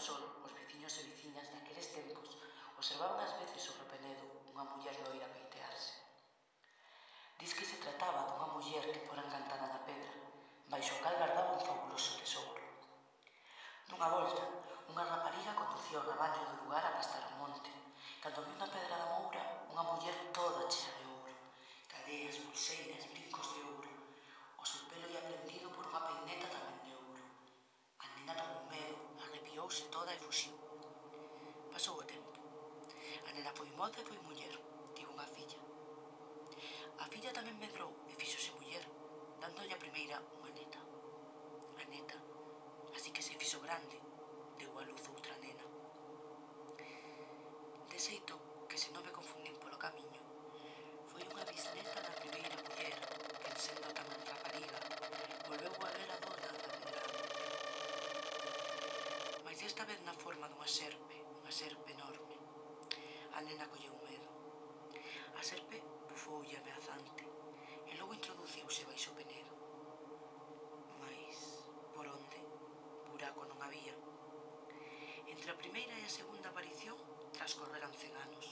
sol, os veciños e veciñas daqueles tempos observaban ás veces sobre o penedo unha muller loira peitearse. Diz que se trataba dunha muller que fora encantada na pedra, baixo o cal gardaba un fabuloso tesouro. Nunha volta, unha rapariga conducía o rabaño do lugar a pastar ao monte, cando viu na pedra da moura unha muller toda chea de ouro, cadeas, pulseiras, brincos de ouro. O seu pelo ia prendido por unha peineta tamén de ouro. A nena tomou medo, arrepiouse toda e fuxiu. Pasou o tempo. A nena foi moza e foi muller, tivo unha filla. A filla tamén medrou e fíxose muller, dándolle a primeira unha neta. A neta, así que se fixo grande, deu a luz outra nena. De xeito que se non me confundín polo camiño, foi unha bisneta da primeira muller que, sendo tamén rapariga, volveu a ver a dona da pedrada. Mais esta vez na forma dunha serpe enorme. A nena colleu medo. A serpe bufoulle ameazante e logo introduciuse baixo o penedo. Mais, por onde? Buraco non había. Entre a primeira e a segunda aparición transcorreran 100 anos.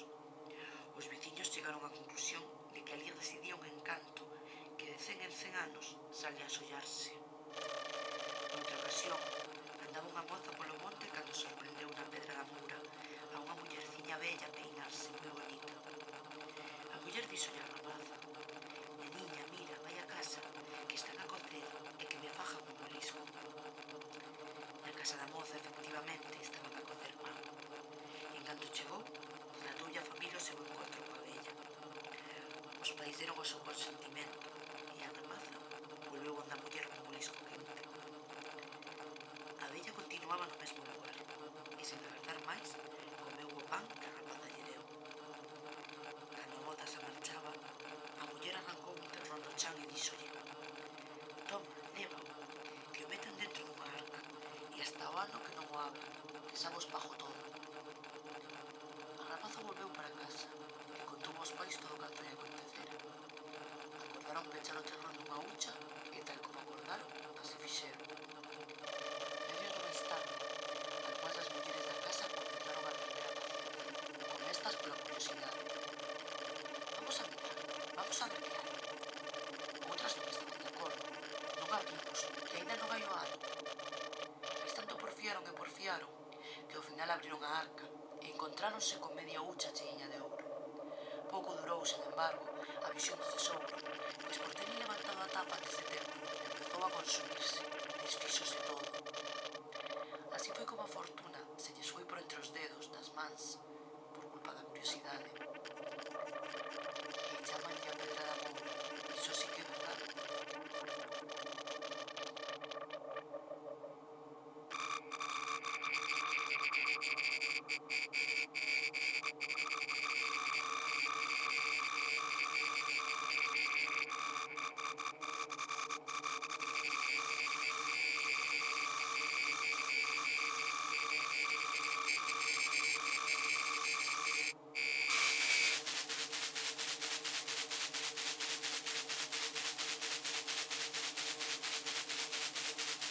Os veciños chegaron á conclusión de que alí residía un encanto que de 100 en 100 anos sale a sollarse. Noutra ocasión, andaba unha moza polo monte cando sorprendeu na pedra da moura a unha mullerciña bella peinarse moi bonita. A muller díxolle á rapaza: «Neniña, mira, vai a casa, que están a cocer e que me fajan un molisco». Na casa da moza, efectivamente, estaban a cocer pan. En canto chegou, relatoulle a familia o seu encontro coa vella. Os pais deron o seu consentimento e a rapaza volveu onde a muller con molisco quente. A vella continuaba no mesmo lugar e, sen agardar máis, comeu o pan que a rapaza lle deu. Cando a moza se marchaba, a muller arrancou un terrón do chan e díxolle: «Toma, lévao, que o metan dentro dunha arca, e hasta o ano que non o abra, que xa vos pago todo». A rapaza volveu para casa e contou aos pais todo o canto lle acontecera. Acordaron pechar o terrón nunha hucha e, tal como acordaron, así fixeron. Medio ano máis tarde, algunhas das mulleres da casa comenzaron a perder a paciencia, con estas pola curiosidade. «Vamos a mirar, vamos a ver que hai». Outras non estaban de acordo. «Non abrimos, que ainda non hai o ano». Mais tanto porfiaron, que ao final abriron a arca e encontráronse con media hucha cheiña de ouro. Pouco durou, sen embargo, a visión do tesouro, pois por tener levantado a tapa antes de tempo, empezou a consumirse, desfíxose todo.